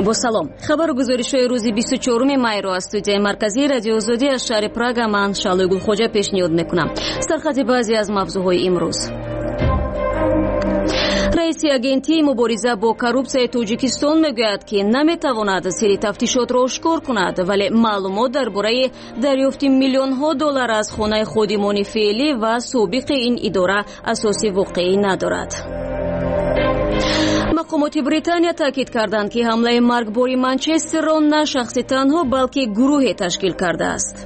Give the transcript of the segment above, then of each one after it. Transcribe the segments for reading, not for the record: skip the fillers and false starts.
Бо салом. Хабару гузоришҳои рӯзи 24 майро аз студияи марказии Радиои Озодӣ аз шаҳри Прага ман Шаълои Гулхоҷа пешниҳод мекунам. Сархати баъзе аз мавзӯъҳои имрӯз. Раиси агентии мубориза бо коррупсияи Тоҷикистон мегӯяд, ки наметавонад сирри тафтишотро ошкор кунад, вале маълумот дар бораи дарёфти миллионҳо доллар аз хонаи ходимони феълӣ ва собиқи ин идора асоси воқеӣ надорад. Мақомоти Британия таъкид карданд, ки ҳамлаи маргбори Манчестерро на шахси танҳо, балки гурӯҳе ташкил кардааст.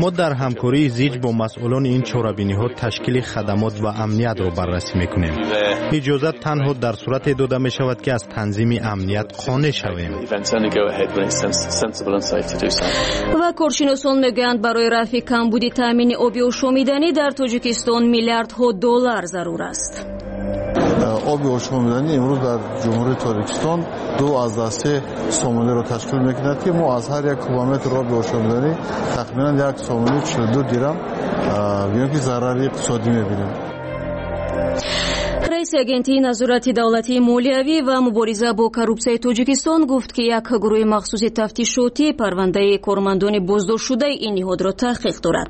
Мо дар ҳамкории зич бо масъулони ин чорабиниҳо ташкили хадамот ва амниятро баррасӣ мекунем. Иҷозат танҳо дар сурате дода мешавад, ки аз танзими амният қонеъ шавем. Ва коршиносон мегӯянд, барои рафъи камбуди таъмини оби ошомиданӣ дар Тоҷикистон миллиардҳо доллар зарур аст. Оби ошомиданӣ имрӯз дар Ҷумҳурии Тоҷикистон 2.3 сомониро ташкил мекунад, ки мо аз ҳар як кубометр оби ошомиданӣ тахминан 1 сомони 42 дирам ё ки зарари иқтисодӣ мебинем. Раиси агентии назорати давлатии молиявӣ ва мубориза бо коррупсияи Тоҷикистон гуфт, ки як гурӯҳи махсуси тафтишотӣ парвандаи кормандони боздоштшудаи ин ниҳодро таҳқиқ дорад.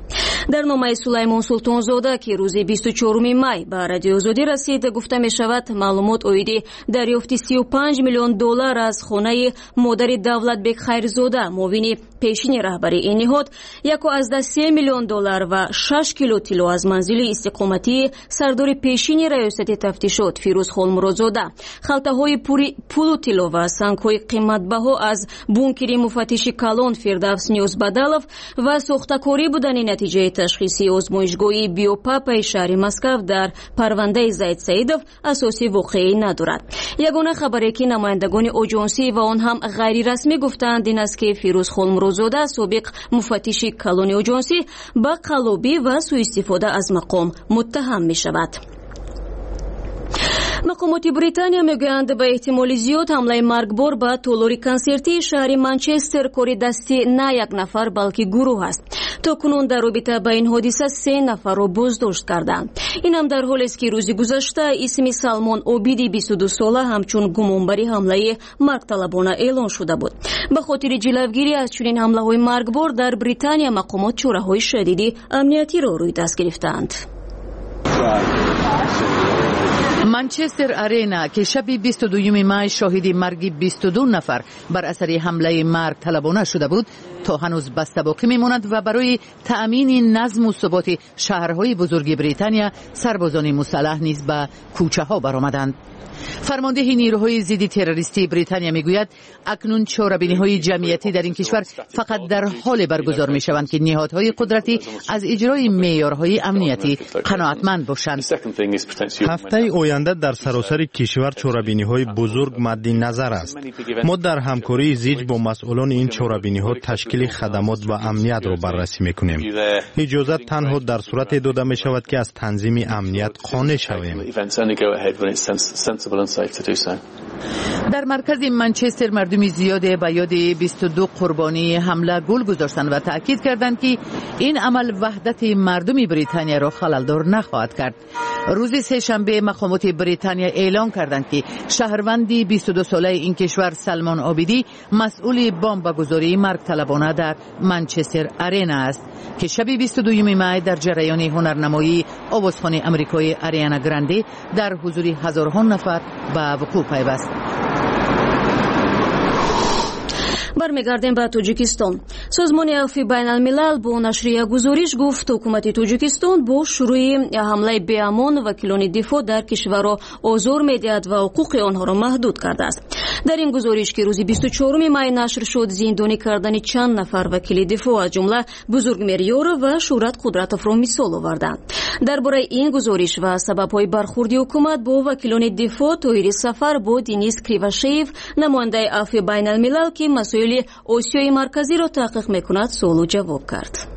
Дар номаи Сулаймон Султонзода, ки рӯзи 24 май ба Радиои Озодӣ расид, гуфта мешавад, маълумот оиди дарёфти 35 миллион доллар аз хонаи модари Давлатбек Хайрзода, муовини пешини раҳбари ин ниҳод, 1.3 миллион доллар ва 6 кило тилло аз манзили истиқоматии сардори пешини раёсати тафтишот Фирӯз Холмуродзода, халтаҳои пури пулу тилло ва сангҳои қиматбаҳо аз бункери муфаттиши калон Фирдавс Ниёзбадалов ва сохтакорӣ будани натиҷаи ташхиси озмоишгоҳи биопапаи шаҳри Москав дар парвандаи Зайд Саидов асоси воқеӣ надорад. Ягона хабаре, ки намояндагони оҷонсӣ ва он ҳам ғайрирасмӣ гуфтаанд, ин аст, ки Фирӯз Холмуродзода, собиқ муфаттиши калони оҷонсӣ, ба қаллобӣ ва сӯистифода аз мақом муттаҳам мешавад. Мақомоти Британия мегӯянд, ба эҳтимоли зиёд ҳамлаи маргбор ба толори консертии шаҳри Манчестер кори дасти на як нафар, балки гурӯҳ аст. То кунун дар робита ба ин ҳодиса 3 нафарро боздошт карданд. Инам дар ҳолест, ки рӯзи гузашта исми Салмон Обиди 22 сола ҳамчун гумонбари ҳамлаи маргталабона эълон шуда буд. Ба хотири ҷилавгирӣ аз чунин ҳамлаҳои маргбор дар Британия мақомот чораҳои шадиди амниятиро рӯи даст гирифтаанд. Манчестер Арена, ки шаби 22 май шоҳиди марги 22 нафар бар асари ҳамлаи маргталабона шуда буд, то ҳанӯз баста боқӣ мемонад ва барои таъмини назму суботи шаҳрҳои бузурги Британия сарбозони мусаллаҳ низ ба кӯчаҳо баромаданд. Фармондеҳи нирӯҳои зидди террористии Британия мегӯяд, акнун чорабиниҳои ҷамъиятӣ дар ин кишвар фақат дар ҳоле баргузор мешаванд, ки ниҳодҳои қудратӣ аз иҷрои меъёрҳои амниятӣ қаноатманд бошанд. Ҳафтаи оянда дар саросари кишвар чорабиниҳои бузург мадди назар аст. Мо дар ҳамкории зич бо масъулони ин чорабиниҳо ташкили хадамот ва амниятро баррасӣ мекунем. Иҷозат танҳо дар сурате дода мешавад, ки аз танзими амният қонеъ шавем. Дар маркази Манчестер мардуми зиёде ба ёди 22 қурбонии ҳамла гул гузоштанд ва таъкид карданд, ки ин амал ваҳдати мардуми Британияро халалдор нахоҳад кард. Рӯзи сешанбе мақомоти Британия эълон карданд, ки шаҳрванди 22-солаи ин кишвар Салмон Обидӣ масъули бомбагузории маргталабона дар Манчестер Арена аст, ки шаби 22 май дар ҷараёни ҳунарнамоии овозхони амрикои Ариана Гранде дар ҳузури ҳазорҳо нафар ба вуқӯъ пайваст. Бармегардем ба Тоҷикистон. Созмони Афви Байналмилал бо нашри як гузориш гуфт, ҳукумати Тоҷикистон бо шурӯи ҳамлаи беамон вакилони дифоъ дар кишварро озор медиҳад ва ҳуқуқи онҳоро маҳдуд кардааст. Дар ин гузориш, ки рӯзи 24 май нашр шуд, зиндонӣ кардани чанд нафар вакили дифоъ, аз ҷумла Бузургмер Ёров ва Шӯҳрат Қудратовро мисол оварданд. Дар бораи ин гузориш ва сабабҳои бархурди ҳукумат бо вакилони дифоъ Тоҳири Сафар бо Денис Кривошеев, намояндаи Афви Байналмилал, ки масоили Осиёи Марказиро таҳқиқ мекунад, суолу ҷавоб кард.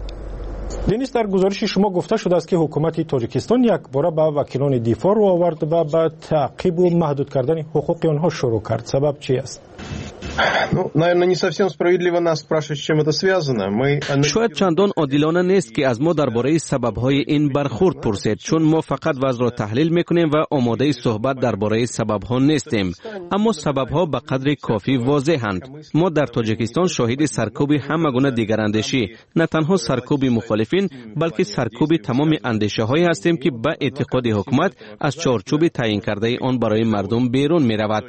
Денис, дар гузориши шумо гуфта шудааст, ки ҳукумати Тоҷикистон якбора ба вакилони дифоъ рӯ овард ва ба таъқибу маҳдуд кардани ҳуқуқи онҳо шурӯъ кард. Сабаб чи аст? Ну, наверное, не совсем справедливо нас спрашивать, с чем это связано. Мы Шояд чандон одилона нест, ки аз мо дар бораи сабабҳои ин бархурд пурсед, чун мо фақат вазъро таҳлил мекунем ва омодаи суҳбат дар бораи сабабҳо нестем. Аммо сабабҳо ба қадри кофӣ возеҳанд. Мо дар Тоҷикистон шоҳиди саркӯби ҳама гуна дигарандешӣ, на танҳо саркӯби мухолифин, балки саркӯби тамоми андешаҳое ҳастем, ки ба эътиқоди ҳукумат аз чорчӯби таъйинкардаи он барои мардум берун меравад.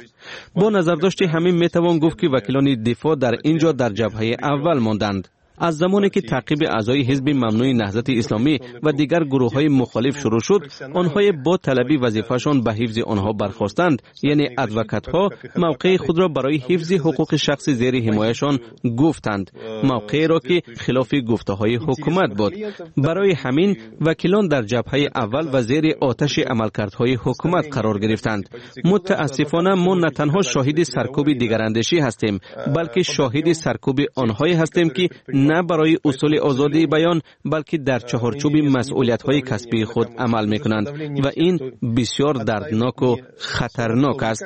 Бо назардошти ҳамин метавон гуфт, ки вакилони дифоъ дар ин ҷо дар ҷабҳаи аввал монданд. Аз замоне ки таъқиби аъзои ҳизби мамнӯи Наҳзати Исломӣ ва дигар гурӯҳҳои мухолиф шурӯъ шуд, онҳое бо талаби вазифаашон ба ҳифзи онҳо бархостанд, яъне адвокатҳо, мавқеи худро барои ҳифзи ҳуқуқи шахси зери ҳимояшон гуфтанд, мавқееро ки хилофи гуфтаҳои ҳукумат буд. Барои ҳамин вакилон дар ҷабҳаи аввал ва зери оташи амалкардҳои ҳукумат қарор гирифтанд. Мутаассифона, мо на танҳо шоҳиди саркӯби дигарандешӣ ҳастем, балки шоҳиди саркӯби онҳое ҳастем, ки на барои усули озодии баён, балки дар чаҳорчӯби масъулиятҳои касбии худ амал мекунанд, ва ин бисёр дардноку хатарнок аст.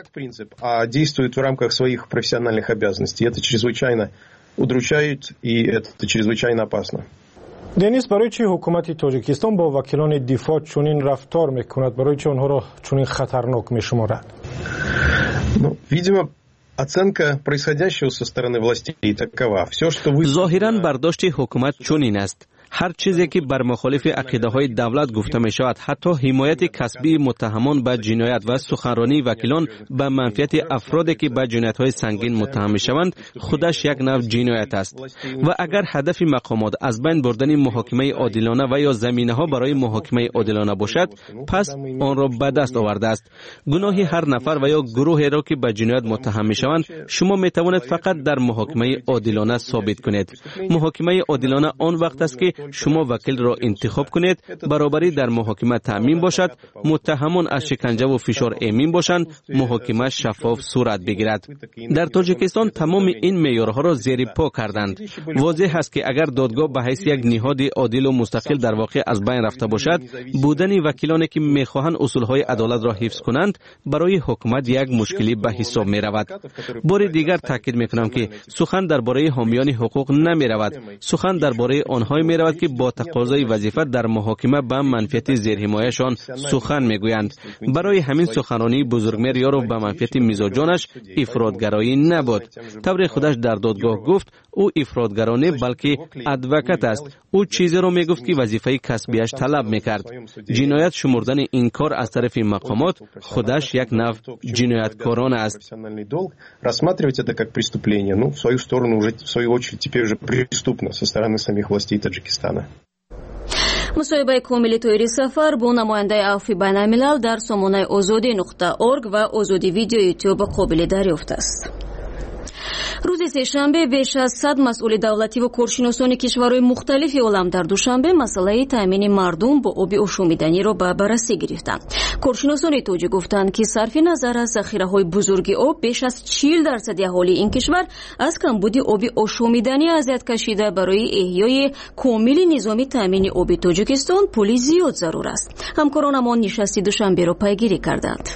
Действуют в рамках своих профессиональных обязанностей. Это чрезвычайно удручает и это чрезвычайно опасно. Денис, барои чӣ ҳукумати Тоҷикистон бо вакилони дифоъ чунин рафтор мекунад? Барои чӣ онҳоро чунин хатарнок мешуморад? Ну, видимо, оценка происходящего со стороны властей такова. Все, что вы. Зоҳиран, бардошти ҳукумат чунин аст: ҳар чизе ки бар мухолифи ақидаҳои давлат гуфта мешавад, ҳатто ҳимояти касбии муттаҳамон ба ҷиноят ва суханронии вакилон ба манфиати афроде, ки ба ҷиноятҳои сангин муттаҳам мешаванд, худаш як нав ҷиноят аст. Ва агар ҳадафи мақомот аз байн бурдани муҳокимаи одилона ва ё заминаҳо барои муҳокимаи одилона бошад, пас онро ба даст овардааст. Гуноҳи ҳар нафар ва ё гурӯҳеро, ки ба ҷиноят муттаҳам мешаванд, шумо метавонед фақат дар муҳокимаи одилона собит кунед. Муҳокимаи одилона он вақт аст, ки шумо вакилро интихоб кунед, баробарӣ дар муҳокима таъмин бошад, муттаҳамон аз шиканҷаву фишор эмин бошанд, муҳокима шаффоф сурат бигирад. Дар Тоҷикистон тамоми ин меъёрҳоро зери по карданд. Возеҳ аст, ки агар додгоҳ ба ҳайси як ниҳоди одилу мустақил дар воқеъ аз байн рафта бошад, будани вакилоне, ки мехоҳанд усулҳои адолатро ҳифз кунанд, барои ҳукумат як мушкилӣ ба ҳисоб меравад. Бори дигар таъкид мекунам, ки сухан дар бораи ҳомиёни ҳуқуқ намеравад, сухан дар бораи онҳое меравад, ки бо тақозои вазифа дар муҳокима ба манфиати зерҳимояшон сухан мегӯянд. Барои ҳамин суханронии Бузургмер Ёров ба манфиати мизоҷонаш ифротгароӣ набуд. Тавре худаш дар додгоҳ гуфт, ӯ ифротгаро не, балки адвокат аст. Ӯ чизеро мегуфт, ки вазифаи касбиаш талаб мекард. Ҷиноят шумурдани ин кор аз тарафи мақомот худаш як нав ҷинояткорона аст. Рассматривать это как преступление, ну, в свою сторону уже, в свою очередь, теперь уже преступно со стороны самих властей Таджикистана. Мусоҳибаи комили Тоҳири Сафар бо намояндаи Афви Байналмилал дар сомонаи Озодӣ.org ва Озодӣ Видео Ютюб қобили дарёфт аст. Рӯзи сешанбе беш аз 100 масъули давлативу коршиносони кишварҳои мухталифи олам дар Душанбе масъалаи таъмини мардум бо оби ошомиданиро ба баррасӣ гирифтанд. Коршиносони тоҷик гуфтанд, ки сарфи назар аз захираҳои бузурги об, беш аз 40 дарсади аҳолии ин кишвар аз камбуди оби ошомиданӣ азият кашида, барои эҳёи комили низоми таъмини оби Тоҷикистон пули зиёд зарур аст. Ҳамкоронамон нишасти Душанберо пайгирӣ карданд.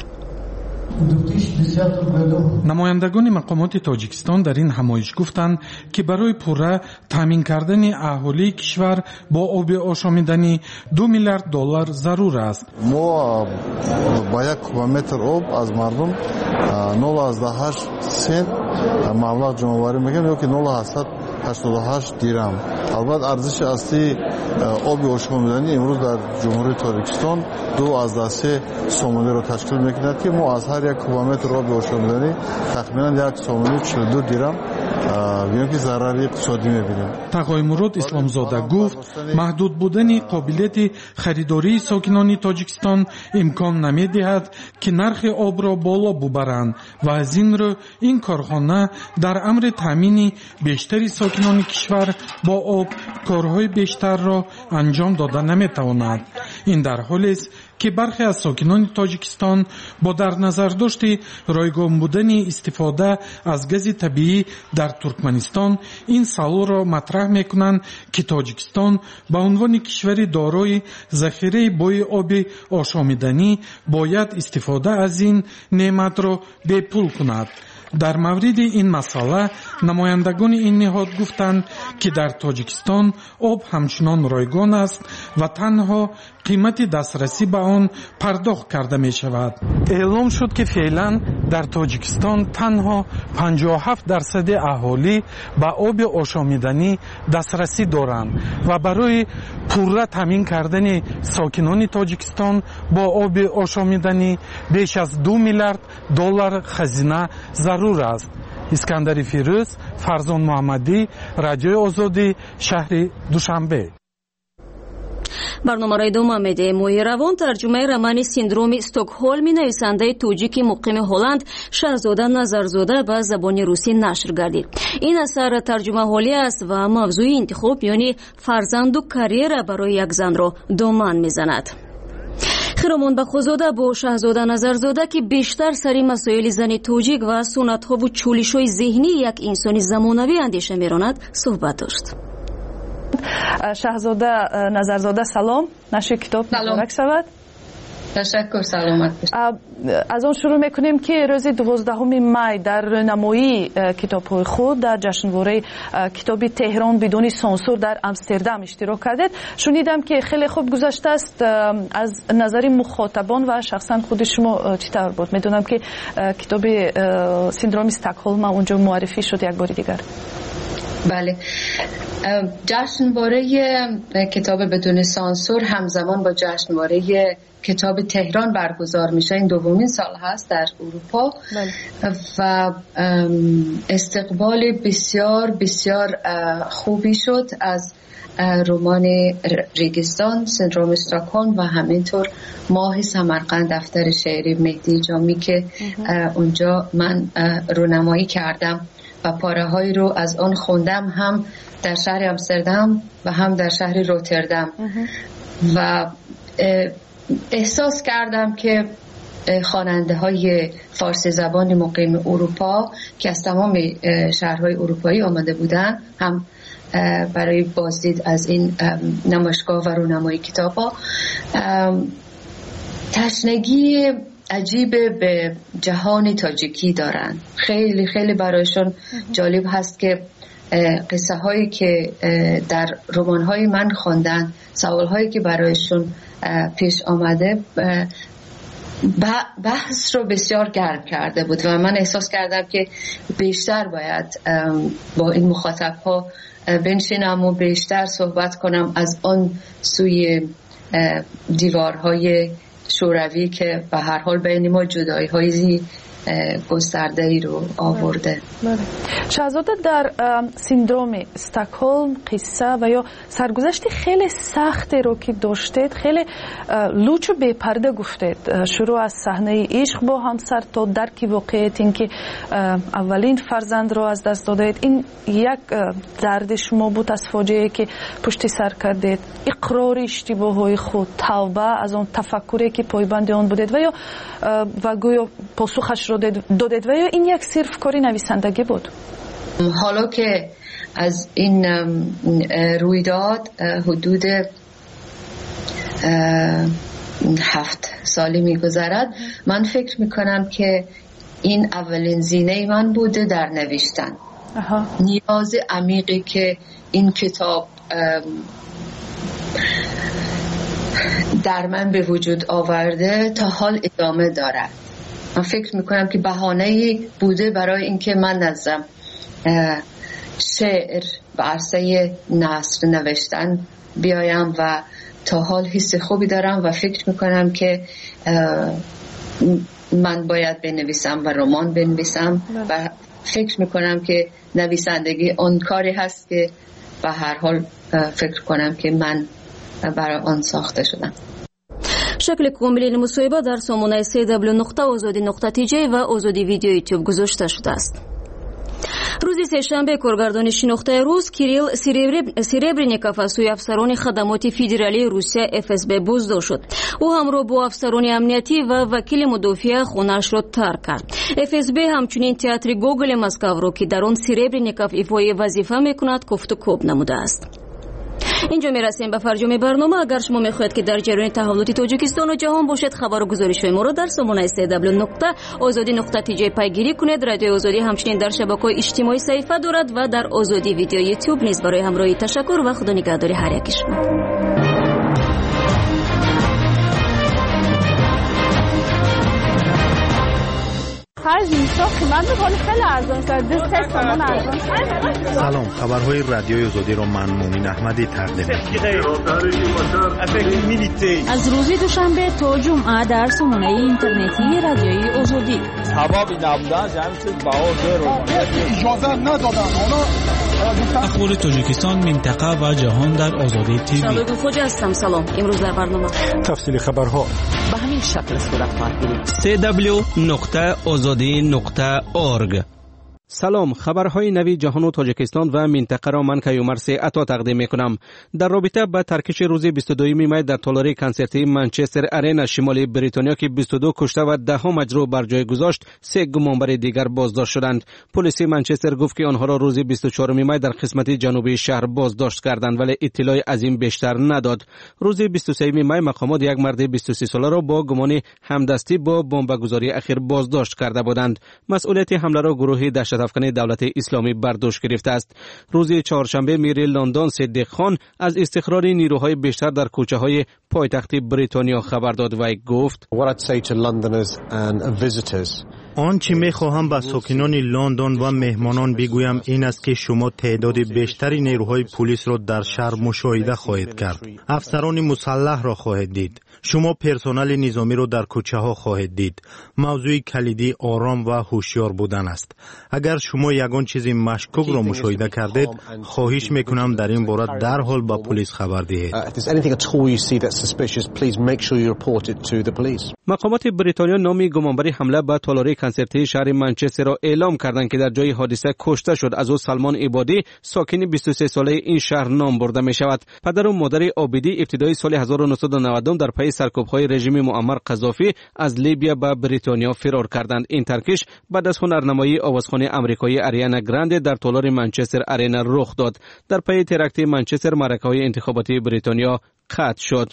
Намояндагони мақомоти Тоҷикистон дар ин ҳамоиш гуфтанд, ки барои пурра таъмин кардани аҳолии кишвар бо оби ошомиданӣ 2 миллиард доллар зарур аст. Мо ба як кубометр об аз мардум 0,8 сент маблағ ҷамъоварӣ мекунем ё ки 0,88 дирам. Албатта, арзиши аслии оби ошомиданӣ имрӯз дар Ҷумҳурии Тоҷикистон 2,3 сомониро ташкил мекунад, ки мо аз ҳар як кубометр оби ошомиданӣ тахминан 1 сомонию 42 дирам гӯем, ки зарари иқтисодӣ мебинем. Тағоимурод Исломзода гуфт, маҳдуд будани қобилияти харидории сокинони Тоҷикистон имкон намедиҳад, ки нархи обро боло бубаранд, ва аз ин рӯ ин корхона дар амри таъмини бештари сокинони кишвар бо об корҳои бештарро анҷом дода наметавонад. Ин дар ҳолест, ки бархе аз сокинони Тоҷикистон бо дар назардошти ройгон будани истифода аз гази табиӣ дар Туркманистон ин саволро матраҳ мекунанд, ки Тоҷикистон ба унвони кишвари дорои захираи бои оби ошомиданӣ бояд истифода аз ин неъматро бепул кунад. Дар мавриди ин масъала намояндагони ин ниҳод гуфтанд, ки дар Тоҷикистон об ҳамчунон ройгон аст ва танҳо қимати дастрасӣ ба он пардохт карда мешавад. Эълом шуд, ки феълан дар Тоҷикистон танҳо 57% аҳолӣ ба оби ошомиданӣ дастрасӣ доранд ва барои пурра таъмин кардани сокинони Тоҷикистон бо оби ошомиданӣ беш аз 2 миллиард доллар хазина зарур аст. Искандари Фирӯз, Фарзон Муҳаммадӣ, Радиои Озодӣ, шаҳри Душанбе. Барномаро идома медиҳем. Моҳи равон тарҷумаи романи «Синдроми Стокҳолми» нависандаи тоҷики муқими Ҳолланд Шаҳзода Назарзода ба забони русӣ нашр гардид. Ин асар тарҷумаҳолӣ аст ва мавзӯи интихоб миёни фарзанду карьера барои як занро доман мезанад. Хиромон Бақозода бо Шаҳзода Назарзода, ки бештар сари масоили зани тоҷик ва суннатҳову чӯлишҳои зеҳнии як инсони замонавӣ андеша меронад, суҳбат дошт. Шаҳзода Назарзода, салом. Нашри китоб муборак шавад. Ташаккур, саломат бошед. Аз он шурӯъ мекунем, ки рӯзи 12 май дар рӯнамоии китобҳои худ дар ҷашнвораи китоби Теҳрон бидуни сансур дар Амстердам иштирок кардед. Шунидам, ки хеле хуб гузаштааст. Аз назари мухотабон ва шахсан худи шумо чӣ тавр буд? Медонам, ки китоби «Синдроми Стокҳолма» унҷо муаррифӣ шуд як бори дигар. Бале, جشنواره کتاب بدون سانسور همزمان با جشنواره کتاب تهران برگزار میشه. این دومین سال هست در اروپا. بله. و استقبال بسیار بسیار خوبی شد از رمان ریگستان، سندروم استاکهلم و همینطور ماه سمرقند، دفتر شعری مهدی جامی که اونجا من رونمایی کردم و پاره هایی رو از آن خوندم، هم در شهر آمستردام و هم در شهر روتردام، و احساس کردم که خواننده های فارسی زبان مقیم اروپا که از تمام شهرهای اروپایی آمده بودن، هم برای بازدید از این نمایشگاه و رونمایی کتاب ها، تشنگی عجیب به جهان تاجیکی دارن. خیلی خیلی برایشون جالب هست که قصه هایی که در رمان های من خواندن، سوال هایی که برایشون پیش آمده، بحث رو بسیار گرم کرده بود و من احساس کردم که بیشتر باید با این مخاطب ها بنشینم و بیشتر صحبت کنم از آن سوی دیوارهای شوروی که به هر حال بین ما جدایی های گسترده ای رو آورده. بله. شهزاده، در سیندروم استکهلم قصه و یا سرگذشت خیلی سختی رو که داشتید خیلی لوچ و بی‌پرده گفتید، شروع از صحنه عشق با همسر تا درک واقعیت اینکه اولین فرزند رو از دست دادید. این یک درد شما بود از فاجعه که پشت سر کردید، اقرار اشتباه‌های خود، توبه از آن تفکری که پایبند آن بودید و یا و گویا پاسخش رو دادید، و یا این یک صرف کاری نویسندگی بود؟ حالا که از این رویداد حدود 7 سالی میگذرد، من فکر میکنم که این اولین زینه من بوده در نوشتن. نیاز عمیقی که این کتاب در من به وجود آورده تا حال ادامه دارد. من فکر میکنم که بهانه‌ای بوده برای اینکه من نظم شعر و عرصه نثر نوشتن بیایم و تا حال حس خوبی دارم و فکر میکنم که من باید بنویسم و رمان بنویسم و فکر میکنم که نویسندگی آن کاری هست که به هر حال فکر کنم که من برای آن ساخته شدم. Шакли комили ин мусоҳиба дар сомонаи cw.ozodi.tj ва Озоди Видео Ютуб гузошта шудааст. Рӯзи сешанбе коргардони шинохтаи рус Кирилл Серебренников аз сӯи афсарони хадамоти федералии Русия ФСБ боздошт шуд. Ӯ ҳамроҳ бо афсарони амниятӣ ва вакили мудофиа хонаашро тарк кард. ФСБ ҳамчунин театри Гоголи Москваро, ки дар он Серебренников ифои вазифа мекунад, кофтукоб намудааст. Инҷо мерасем ба фарҷоми барнома. Агар шумо мехоҳед, ки дар ҷараёни таҳаввулоти Тоҷикистону ҷаҳон бошед, хабару гузоришҳои моро дар сомонаи cw.ozodi.tj пайгирӣ кунед. Радиои Озодӣ ҳамчунин дар шабакаҳои иҷтимоӣ саҳифа дорад ва дар Озодӣ видео Ютуб низ. Барои ҳамроҳӣ ташаккур ва худо нигаҳдори ҳар яки шумо. Ҳар зимистон қимат буд, ҳоли хеле арзон шуд. 2-3 сомон арзон шуд. Салом, хабарҳои Радиои Озодиро ман Мумин Аҳмадӣ тақдим мекунам. Аз рӯзи душанбе то ҷумъа дар сомонаи интернетии Радиои Озодӣ. Сабаби набудан ҳамин чиз баҳо иҷоза надоданд. Ахбори Тоҷикистон, минтақа ва ҷаҳон дар Озодӣ ТВ. Шалои ҳастам. Салом. Имрӯз дар барнома тафсили хабарҳо ба ҳамин шакл сурат хоҳад гирифт. cw.ozodi.org. Салом, хабарҳои нави ҷаҳону Тоҷикистон ва минтақаро ман Каюмарси Ато тақдим мекунам. Дар робита ба таркиши рӯзи 22 май дар толори консертии Манчестер Арена шимоли Бритониё, ки 22 кушта ва даҳҳо маҷрӯҳ бар ҷой гузошт, се гумонбари дигар боздошт шуданд. Полиси Манчестер гуфт, ки онҳоро рӯзи 24 май дар қисмати ҷанубии шаҳр боздошт карданд, вале иттилои аз ин бештар надод. Рӯзи 23 май мақомот як марди 23 соларо бо гумони ҳамдастӣ бо бомбагузории ахир боздошт карда буданд. Масъулияти ҳамларо гурӯҳи даҳшатафкани Давлати Исломӣ бар дӯш гирифтааст. Рӯзи чоршанбе мири Лондон Сиддиқ Хон аз истиқрори нирӯҳои бештар дар кӯчаҳои пойтахти Бритониё хабар дод ва гуфт: Он чӣ мехоҳам ба сокинони Лондон ва меҳмонон бигӯям ин аст, ки шумо теъдоди бештари нерӯҳои пулисро дар шаҳр мушоҳида хоҳед кард. Афсарони мусаллаҳро хоҳед дид. Шумо персонали низомиро дар кӯчаҳо хоҳед дид. Мавзӯи калидӣ ором ва ҳушёр будан аст. Агар шумо ягон чизи машкукро мушоҳида кардед, хоҳиш мекунам дар ин бора дарҳол ба пулис хабар диҳед. Мақомоти Бритониё номи гумонбари ҳамла ба толори консертии шаҳри Манчестерро эълом карданд, ки дар ҷои ҳодиса кушта шуд. Аз ӯ Салмон Ибодӣ, сокини 23-солаи ин шаҳр ном бурда мешавад. Падару модари Обидӣ ибтидои соли 1990 дар пайи саркӯбҳои режими Муаммар Қазофӣ аз Либия ба Бритониё фирор карданд. Ин таркиш баъд аз ҳунарнамоии овозхони амрикоӣ Ариана Гранде дар толори Манчестер Арена рух дод. Дар пайи теракти Манчестер маъракаҳои интихоботии Бритониё қатъ шуд.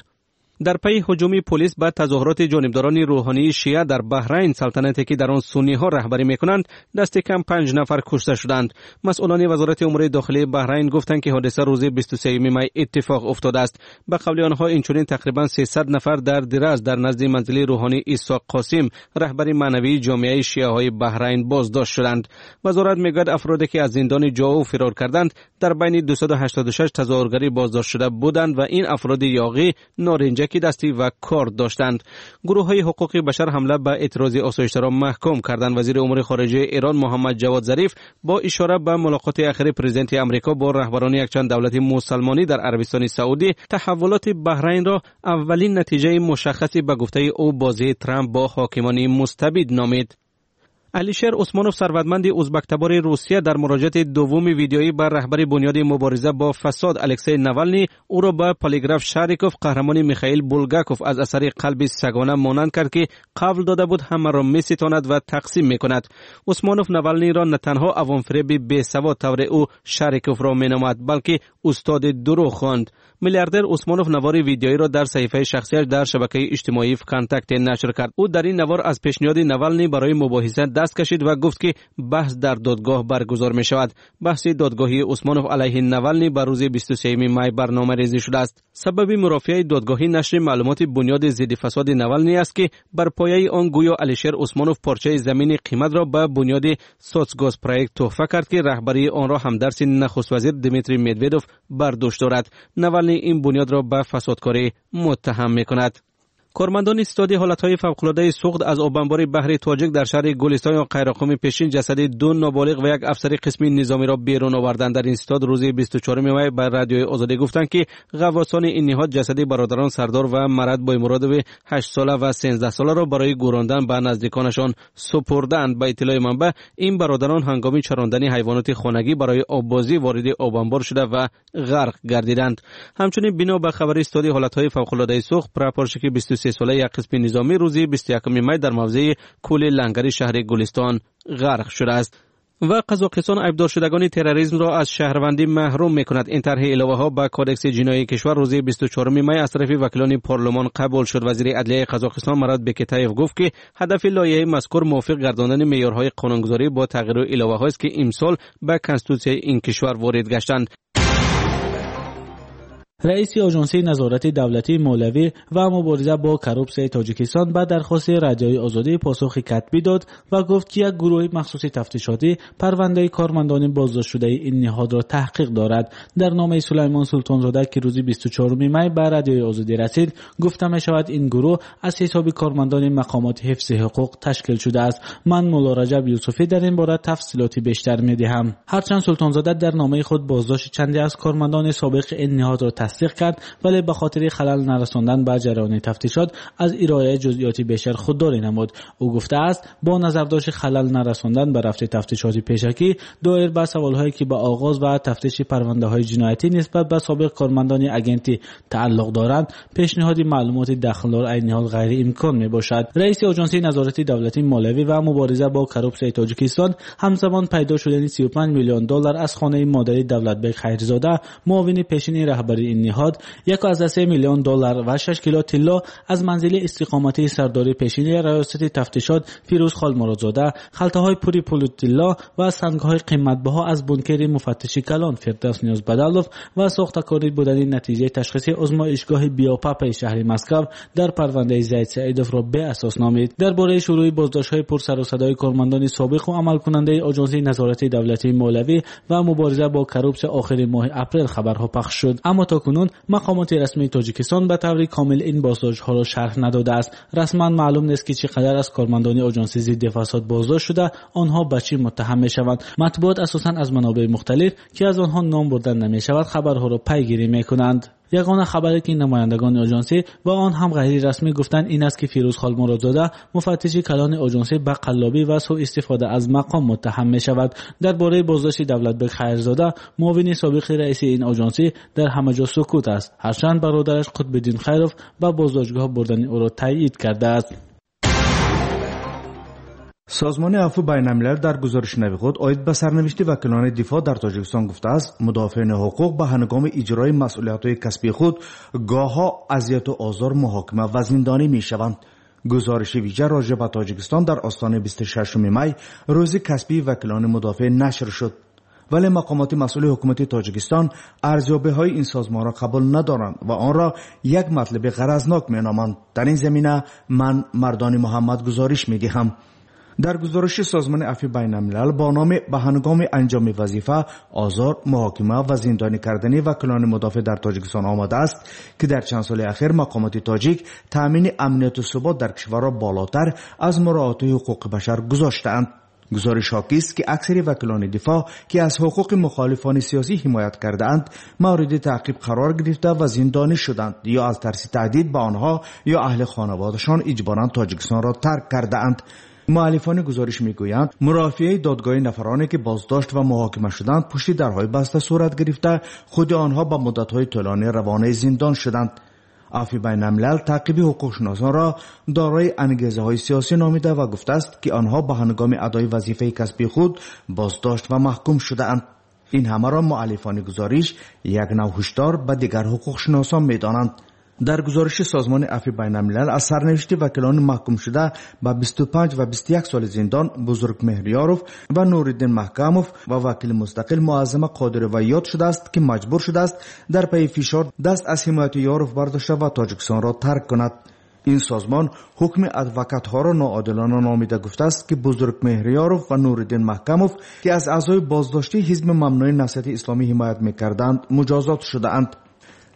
Дар пайи ҳуҷуми полис ба тазоҳуроти ҷонибдорони рӯҳонии шия дар Баҳрайн, салтанате ки дар он сунниҳо раҳбарӣ мекунанд, дасти кам 5 нафар кушта шуданд. Масъулони вазорати умури дохилии Баҳрайн гуфтанд, ки ҳодиса рӯзи 23 май иттифоқ уфтодааст. Ба қавли онҳо инчунин тақрибан 300 нафар дар Дираз дар назди манзили рӯҳонӣ Исоқ Қосим, раҳбари маънавии ҷомеаи шиаҳои Баҳрайн, боздошт шуданд. Вазорат мегӯяд, афроде ки аз зиндони Ҷоу фирор карданд, дар байни 286 тазоҳургарӣ боздошт шуда буданд ва ин афроди ёғӣ норинҷа ки дастӣ ва корд доштанд. Гурӯҳҳои ҳуқуқи башар ҳамла ба эътирози осоиштаро маҳкум карданд. Вазири умури хориҷаи Эрон Муҳаммад Ҷавод Зариф бо ишора ба мулоқоти ахири президенти Амрико бо раҳбарони якчанд давлати мусалмонӣ дар Арабистони Саудӣ таҳаввулоти Баҳрайнро аввалин натиҷаи мушаххаси ба гуфтаи ӯ бозии Трамп бо ҳокимони мустабид номид. Алишер Усмонов, сарватманди узбактабори Русия, дар муроҷиати дуввуми видеоӣ ба раҳбари бунёди мубориза бо фасод Алексей Навални ӯро ба полиграф Шариков, қаҳрамони Михаил Булгаков аз асари «Қалби сагона» монанд кард, ки қавл дода буд ҳамаро меситонад ва тақсим мекунад. Усмонов Навалниро на танҳо авомфиреби бесавод, тавре ӯ Шариковро меномад, балки устоди дурӯғ хонд. Миллиардер Усмонов навори видеоиро дар саҳифаи шахсияш дар шабакаи иҷтимоии ВКонтакте нашр кард. Ӯ дар ин навор аз пешниҳоди Навални барои мубоҳиса даст кашид ва гуфт, ки баҳс дар додгоҳ баргузор мешавад. Баҳси додгоҳии Усмонов алайҳи Навални ба рӯзи 23 май барномарезӣ шудааст. Сабаби мурофиаи додгоҳӣ нашри маълумоти бунёди зидди фасоди Навални аст, ки бар пояи он гӯё Алишер Усмонов порчаи замини қиматро ба бунёди Соцгоспроект тӯҳфа кард, ки раҳбарии онро ҳамдарси нахуствазир Дмитрий Медведов бар дӯш дорад. Навални ин бунёдро ба фасодкорӣ муттаҳам мекунад. Кормандони ситоди ҳолатҳои фавқулодаи Суғд аз обанбори баҳри Тоҷик дар шаҳри Гулистон ё Қайроққуми пешин ҷасади ду ноболиғ ва як афсари қисми низомиро берун оварданд. Дар ин ситод рӯзи 24 май ба Радиои Озодӣ гуфтанд, ки ғаввосони ин ниҳод ҷасади бародарон Сардор ва Марат Боймуродови 8 сола ва 13 соларо барои гӯрондан ба наздиконашон супурданд. Ба иттилои манбаъ, ин бародарон ҳангоми чарондани ҳайвоноти хонагӣ барои оббозӣ вориди обанбор шуда ва ғарқ гардиданд. Ҳамчунин бино ба хабари ситоди ҳолатҳои фавқулодаи Суғд, прапорщики 23 сола як қисми низомӣ рӯзи 21 май дар мавзеи кӯли Лангари шаҳри Гулистон ғарқ шудааст. Ва Қазоқистон айбдоршудагони терроризмро аз шаҳрвандӣ маҳрум мекунад. Ин тарҳи иловаҳо ба Кодекси ҷиноии кишвар рӯзи 24 май аз тарафи вакилони парлумон қабул шуд. Вазири адлияи Қазоқистон Марат Бекетаев гуфт, ки ҳадафи лоиҳаи мазкур мувофиқ гардондани меъёрҳои қонунгузорӣ бо тағйиру иловаҳоест, ки имсол ба конститутсияи ин кишвар ворид гаштанд. Раиси Оҷонсии назорати давлатии молиявӣ ва мубориза бо коррупсияи Тоҷикистон ба дархости Радиои Озодӣ посухи катбӣ дод ва гуфт, ки як гурӯҳи махсуси тафтишотӣ парвандаи кормандони боздоштшудаи ин ниҳодро таҳқиқ дорад. Дар номаи Сулаймон Султонзода, ки рӯзи 24 май ба Радиои Озодӣ расид, гуфта мешавад, ин гурӯҳ аз ҳисоби кормандони мақомоти ҳифзи ҳуқуқ ташкил шудааст. Ман Мулло Раҷаб Юсуфӣ дар ин бора тафсилоти бештар медиҳам. Ҳарчанд Султонзода дар номаи худ боздошти чанде аз кормандони собиқи ин ниҳодро тасдиқ кард, вале ба хотири халал нарасондан ба ҷараёни тафтишот аз ироаи ҷузъиёти бештар худдорӣ намуд. Ӯ гуфтааст, бо назардошти халал нарасондан ба рафти тафтишоти пешакӣ доир ба саволҳое, ки ба оғоз ва тафтиши парвандаҳои ҷиноятӣ нисбат ба собиқ кормандони агентӣ тааллуқ доранд, пешниҳоди маълумоти дахлдор айни ҳол ғайриимкон мебошад. Раиси Оҷонсии назорати давлатии молиявӣ ва мубориза бо коррупсияи Тоҷикистон ҳамзамон пайдо шудани 35 миллион доллар аз хонаи модари Давлатбек Хайрзода, муовини пешини раҳбари ин ниҳод, 1.3 миллион доллар ва 6 кило тилло аз манзили истиқоматии сардори пешини раёсати тафтишот Фирӯз Холмуродзода, халтаҳои пури пулу тилло ва сангҳои қиматбаҳо аз бункери муфаттиши калон Фирдавс Ниёзбадалов ва сохтакорӣ будани натиҷаи ташхиси озмоишгоҳи биопапаи шаҳри Москав дар парвандаи Зайд Саидовро беасос номид. Дар бораи шурӯи боздоштҳои пурсарусадои кормандони собиқу амалкунандаи Оҷонсии назорати давлатии молиявӣ ва мубориза бо коррупсия охири моҳи апрел хабарҳо пахш шуд, аммо то кунун мақомоти расмии Тоҷикистон ба таври комил ин боздоштҳоро шарҳ надодааст. Расман маълум нест, ки чӣ қадар аз кормандони Оҷонсии зидди фасод боздошт шуда, онҳо ба чӣ муттаҳам мешаванд. Матбуот асосан аз манобеи мухталиф, ки аз онҳо ном бурдан намешавад, хабарҳоро пайгирӣ мекунанд. Ягона хабаре, ки намояндагони оҷонсӣ ва он ҳам ғайрирасмӣ гуфтанд, ин аст, ки Фирӯз Холмуродзода, муфаттиши калони оҷонсӣ, ба қаллобӣ ва суистифода аз мақом муттаҳам мешавад. Дар бораи боздошти Давлатбек Хайрзода, муовини собиқи раиси ин оҷонсӣ, дар ҳама ҷо сукут аст, ҳарчанд бародараш Қутбиддин Хайров ба боздоштгоҳ бурдани ӯро таъйид кардааст. Созмони афву байналмилал дар гузориши нави худ оид ба сарнавишти вакилони дифоъ дар Тоҷикистон гуфтааст, мудофиони ҳуқуқ ба ҳангоми иҷрои масъулиятҳои касбии худ гоҳҳо азияту озор, муҳокима ва зиндонӣ мешаванд. Гузориши вижа роҷеъ ба Тоҷикистон дар остонаи 26 май, рӯзи касбии вакилони мудофиъ, нашр шуд. Вале мақомоти масъули ҳукумати Тоҷикистон арзёбиҳои ин созмонро қабул надоранд ва онро як матлаби ғаразнок меноманд. Дар ин замина ман Мардони Муҳаммад гузориш медиҳам. Дар гузориши созмони афви байналмилал бо номи ба ҳангоми анҷоми вазифа озор, муҳокима ва зиндонӣ кардани вакилони мудофиъ дар Тоҷикистон омадааст, ки дар чанд соли ахир мақомоти тоҷик таъмини амнияту субот дар кишварро болотар аз муроати ҳуқуқи башар гузоштаанд. Гузориш ҳокист, ки аксари вакилони дифоъ, ки аз ҳуқуқи мухолифони сиёсӣ ҳимоят кардаанд, мавриди таъқиб қарор гирифта ва зиндонӣ шуданд ё аз тарси таҳдид ба онҳо ё аҳли хонаводашон иҷборан Тоҷикистонро тарк кардаанд. Муаллифони гузориш мегӯянд, мурофиаи додгоҳи нафароне, ки боздошт ва муҳокима шуданд, пушти дарҳои баста сурат гирифта, худи онҳо ба муддатҳои тӯлонӣ равонаи зиндон шуданд. Афви байналмилал таъқиби ҳуқуқшиносонро дорои ангезаҳои сиёсӣ номида ва гуфтааст, ки онҳо ба ҳангоми адои вазифаи касбии худ боздошт ва маҳкум шудаанд. Ин ҳамаро муаллифони гузориш як нав ҳушдор ба дигар ҳуқуқшиносон медонанд. Дар гузориши созмони афви байналмилал аз сарнавишти вакилони маҳкумшуда ба 25 ва 21 соли зиндон Бузургмеҳриёров ва Нуриддин Маҳкамов ва вакили мустақил Муаззама Қодирова ёд шудааст, ки маҷбур шудааст дар пайи фишор даст аз ҳимояти Ёров бардошта ва Тоҷикистонро тарк кунад. Ин созмон ҳукми адвокатҳоро ноодилона номида гуфтааст, ки Бузургмеҳриёров ва Нуриддин Маҳкамов, ки аз аъзои боздоштии ҳизби мамнӯи Наҳзати Исломӣ ҳимоят мекарданд, муҷозот шудаанд.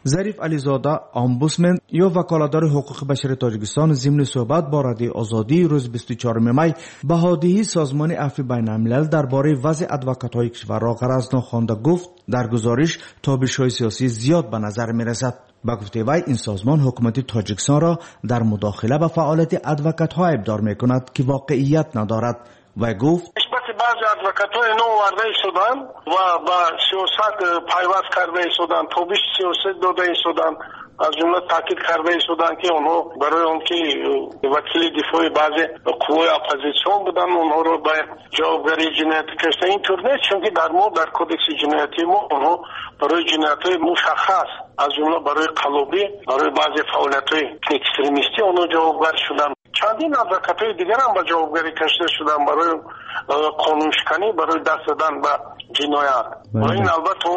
Зариф Ализода, омбудсмен ё ваколатдори ҳуқуқи башари Тоҷикистон, зимни суҳбат бо Радиои Озодӣ рӯзи 24 май баҳодиҳии Созмони афви байналмилал дар бораи вазъи адвокатҳои кишварро ғаразнок хонда гуфт, дар гузориш тобишҳои сиёсӣ зиёд ба назар мерасад. Ба гуфтаи вай, ин созмон ҳукумати Тоҷикистонро дар мудохила ба фаъолияти адвокатҳо айбдор мекунад, ки воқеият надорад. Вай гуфт: баъзе адвокатҳои ино оварда истоданд ва ба сиёсат пайваст карда истоданд, тобиши сиёсат дода истоданд. Аз ҷумла таъкид карда истоданд, ки онҳо барои он ки вакили дифои баъзе қуввои оппозитсион буданд, онҳоро ба ҷавобгарии ҷиноятӣ кашида. Ин тур нест, чунки дар мо, дар кодекси ҷиноятии мо, онҳо барои ҷиноятҳои мушаххас, аз ҷумла барои қаллобӣ, барои баъзе фаъолиятҳои экстремистӣ онҳо ҷавобгар шуданд. Чандин адвокатҳои дигарам ба ҷавобгарӣ кашида шуданд барои қонуншиканӣ, барои даст задан ба ҷиноят. Ва ин албатта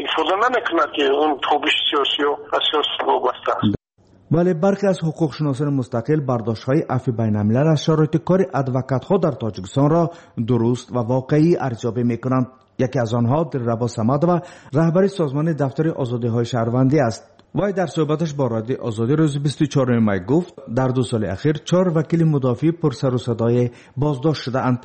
ифода намекунад, ки он тобиши сиёсиё ба сиёсат вобаста аст. Вале бархе аз ҳуқуқшиносони мустақил бардоштҳои афви байналмилал аз шароити кори адвокатҳо дар Тоҷикистонро дуруст ва воқеӣ арзёбӣ мекунанд. Яке аз онҳо Дилрабо Самадова, раҳбари созмони Дафтари озодиҳои шаҳрвандӣ аст. Вай дар суҳбаташ бо Радиои Озодӣ рӯзи 24 май гуфт, дар 2 соли ахир чор вакили мудофиъи пурсарусадое боздошт шудаанд.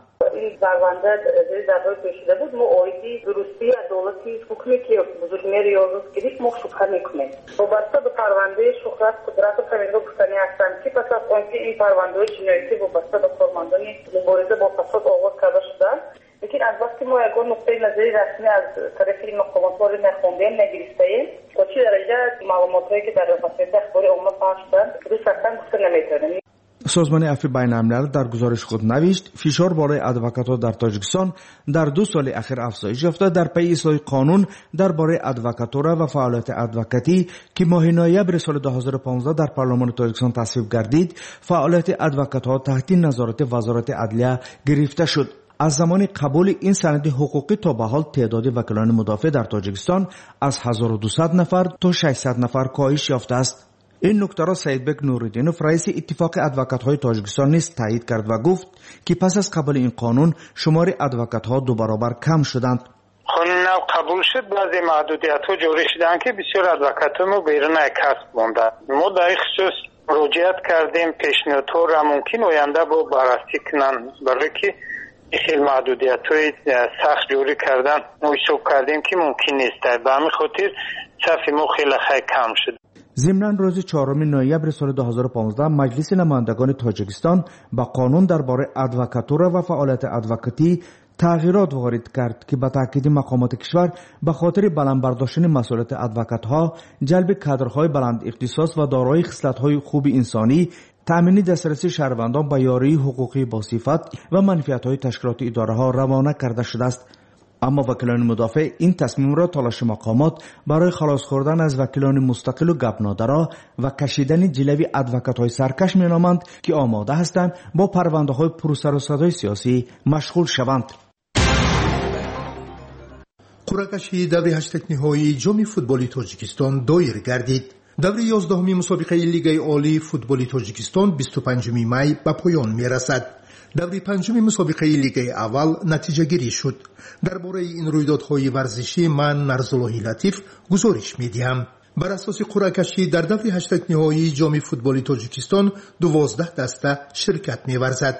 Ин парванда зери пешида буд. Мо оиди дурустии адолати ҳукме, ки Бузургмеҳр Ниёзов гирифт, мо шубҳа мекунем. Вобаста ба парвандаи Шуҳрат Қудратов ҳаминро гуфтанӣ ҳастанд, ки пас аз он ки ин парвандаҳои ҷиноятӣ вобаста ба кормандони мубориза бо фасод оғоз карда шуданд, лекин аз вақти мо ягон нуқтаи назари расмӣ аз тарафи ин мақомотҳо нахондем, нагирифтаем. То чӣ дараҷа маълумотҳое, ки дар васоити ахбори омма пахш шуданд, дуруст ҳастанд, гуфта наметавонем. Созмони афви байналмилал дар гузориши худ навишт, фишор болои адвокатҳо дар Тоҷикистон дар 2 соли ахир афзоиш ёфта, дар пайи ислоҳи қонун дар бораи адвокатура ва фаъолияти адвокатӣ, ки моҳи ноябри соли 2015 дар парлумони Тоҷикистон тасвиб гардид, фаъолияти адвокатҳо таҳти назорати Вазорати адлия гирифта шуд. Аз замони қабули ин санади ҳуқуқӣ то ба ҳол теъдоди вакилони мудофеъ дар Тоҷикистон аз 1200 нафар то 600 нафар коҳиш ёфтааст. Ин нуктаро Саидбек Нуриддинов, раиси Иттифоқи адвокатҳои Тоҷикистон, низ таъйид кард ва гуфт, ки пас аз қабули ин қонун шумори адвокатҳо дубаробар кам шуданд. Қонун нав қабул шуд, баъзе маҳдудиятҳо ҷорӣ шуданд, ки бисёр адвокатҳои мо берун аз касб монданд. Мо дар ин хусус муроҷиат кардем, пешниҳодҳоро мумкин оянда бо баррасӣ кунанд, барое ки хел маҳдудиятҳои сахт ҷорӣ кардан мо ҳисоб кардем, ки мумкин нест. Ба ҳамин хотир сафи мо хеле хай кам шуд. Зимнан, рӯзи 4 ноябри соли 2015 Маҷлиси намояндагони Тоҷикистон ба қонун дар бораи адвокатура ва фаъолияти адвокатӣ тағйирот ворид кард, ки ба таъкиди мақомоти кишвар ба хотири баланд бардоштани масъулияти адвокатҳо, ҷалби кадрҳои баландихтисос ва дорои хислатҳои хуби инсонӣ, таъмини дастрасии шаҳрвандон ба ёрии ҳуқуқии босифат ва манфиатҳои ташкилоту идораҳо равона карда шудааст. Аммо вакилони мудофеъ ин тасмимро талоши мақомот барои халос хӯрдан аз вакилони мустақилу гапнодаро ва кашидани ҷилави адвокатҳои саркаш меноманд, ки омода ҳастанд бо парвандаҳои пурсарусадои сиёсӣ машғул шаванд. Қуръакашии даври ҳаштакниҳоии Ҷоми футболи Тоҷикистон доир гардид. Даври 11-уми мусобиқаи Лигаи олии футболи Тоҷикистон 25 май ба поён мерасад. Даври панҷуми мусобиқаи Лигаи аввал натиҷагирӣ шуд. Дар бораи ин рӯйдодҳои варзишӣ ман, Нарзуллоҳи Латиф, гузориш медиҳам. Бар асоси қуръакашӣ дар даври ҳаштакниҳоии Ҷоми футболи Тоҷикистон 12 даста ширкат меварзад.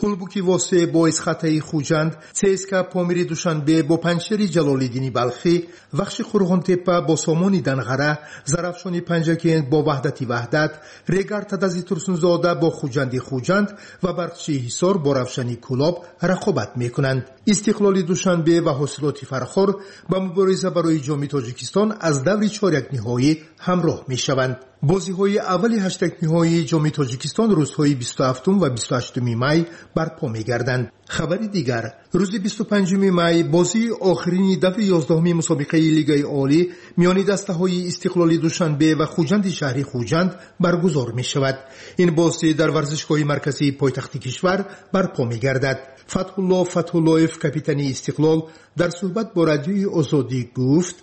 Ҳулбуки Восе бо Эсхатаи Хуҷанд, ЦСКА Помири Душанбе бо Панҷшери Ҷалолиддини Балхӣ, Вахши Қурғонтеппа бо Сомони Данғара, Зарафшони Панҷакент бо Ваҳдати Ваҳдат, Регар Тадази Турсунзода бо Хуҷанди Хуҷанд ва Барқчии Ҳисор бо Равшани Кӯлоб рақобат мекунанд. Истиқлоли Душанбе ва Ҳосилоти Фархор ба мубориза барои Ҷоми Тоҷикистон аз даври чорякниҳоӣ ҳамроҳ мешаванд. Бозиҳои аввали ҳаштакниҳоии Ҷоми Тоҷикистон рӯзҳои 27 ва 28 май барпо мегарданд. Хабари дигар: рӯзи 25 май бозии охирини даври 11-уми мусобиқаи Лигаи олӣ миёни дастаҳои Истиқлоли Душанбе ва Хуҷанди шаҳри Хуҷанд баргузор мешавад. Ин бозӣ дар варзишгоҳи марказии пойтахти кишвар барпо мегардад. Фатҳулло Фатҳуллоев, капитани Истиқлол, дар суҳбат бо Радиои Озодӣ гуфт: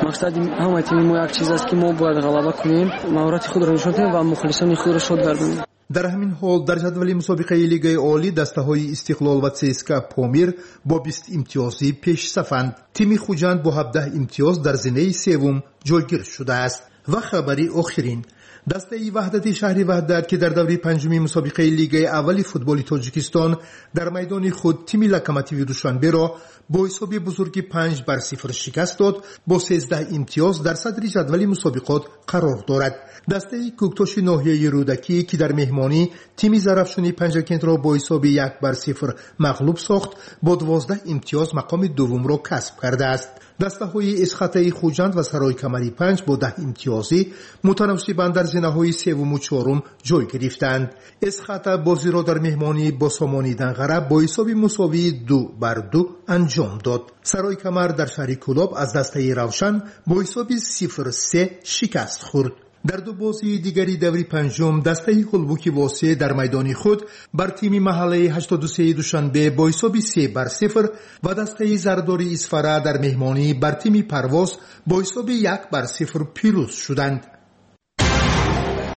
Мақсади ҳамаи тими мо як чиз аст, ки мо бояд ғалаба кунем, маҳорати худро нишон диҳем ва мухлисони худро шод гардонем. Дар ҳамин ҳол, дар ҷадвали мусобиқаи Лигаи олӣ дастаҳои Истиқлол ва ЦСКА Помир бо 20 имтиёзӣ пешсафанд. Тими Хуҷанд бо 17 имтиёз дар зинаи севум ҷойгир шудааст. Ва хабари охирин. Дастаи Ваҳдати шаҳри Ваҳдат, ки дар даври панҷуми мусобиқаи Лигаи аввали футболи Тоҷикистон дар майдони худ тими Локомотиви Душанберо бо ҳисоби бузурги 5-0 шикаст дод, бо 13 имтиёз дар садри ҷадвали мусобиқот қарор дорад. Дастаи Кӯктоши ноҳияи Рӯдакӣ, ки дар меҳмонӣ тими Зарафшони Панҷакентро бо ҳисоби 1-0 мағлуб сохт, бо 12 имтиёз мақоми дуввумро касб кардааст. Дастаҳои Эсхатаи Хуҷанд ва Сарои Камари панҷ бо 10 имтиёзӣ мутаносибан дар зинаҳои севуму чорум ҷой гирифтанд. Эсхата бозиро дар меҳмонӣ бо Сомони Данғара бо ҳисоби мусовии 2-2 анҷом дод. Сарои Камар дар шаҳри Кӯлоб аз дастаи Равшан бо ҳисоби 0-3 шикаст хӯрд. Дар ду бозии дигари даври панҷум, дастаи Ҳулбуки Восеъ дар майдони худ бар тими маҳаллаи 83 Душанбе бо ҳисоби 3-0 ва дастаи Зардори Исфара дар меҳмонӣ бар тими Парвоз бо ҳисоби 1-0 пирӯз шуданд.